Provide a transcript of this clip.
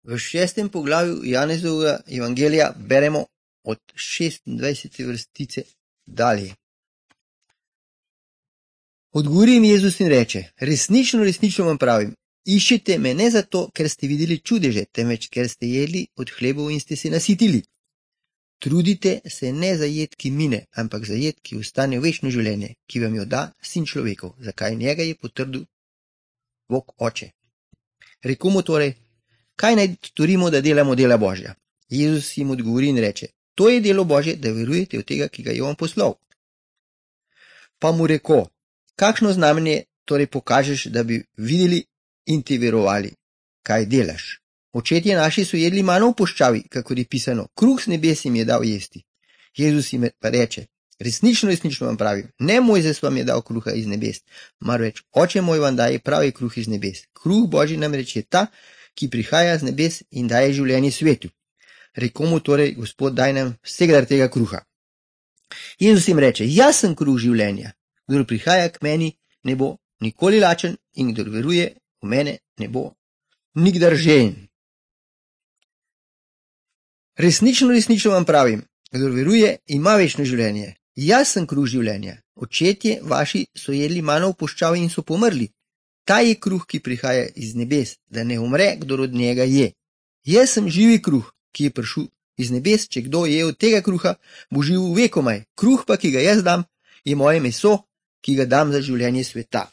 V 6. poglavju Janezovega evangelija beremo od 26. vrstice dalje. Odgovori jim Jezus in reče: resnično, resnično vam pravim, iščete me ne zato, ker ste videli čudeže, temveč ker ste jedli od hlebov in ste se nasitili. Trudite se ne za jed, ki mine, ampak za jed, ki ostane v večno življenje, ki vam jo da Sin človekov, zakaj njega je potrdil Bog Oče. Rekel mu torej: kaj naj storimo, da delamo dela Božja? Jezus jim odgovori in reče: to je delo Božje, da verujete v tega, ki ga je on poslal. Pa mu rekel: kakšno znamenje torej pokažeš, da bi videli in ti verovali? Kaj delaš? Očetje naši so jedli mano v puščavi, kakor je pisano, kruh z nebes jim je dal jesti. Jezus jim pa reče: resnično, resnično vam pravim, ne Mojzes vam je dal kruha iz nebes, marveč Oče moj vam daje pravi kruh iz nebes. Kruh Božji namreč je ta, ki prihaja z nebes in daje življenje svetu. Rekel mu torej: Gospod, daj nam vsega tega kruha. Jezus jim reče: jaz sem kruh življenja. Kdor prihaja k meni, ne bo nikoli lačen, in kdor veruje v mene, ne bo nikdar žejen. Resnično, resnično vam pravim, kdor veruje, ima večno življenje. Jaz sem kruh življenja. Očetje vaši so jedli mano v puščavi in so pomrli. Ta je kruh, ki prihaja iz nebes, da ne umre, kdor od njega je. Jaz sem živi kruh, ki je prišel iz nebes, če kdo je od tega kruha, bo živel vekomaj. Kruh pa, ki ga jaz dam, je moje meso, ki ga dam za življenje sveta.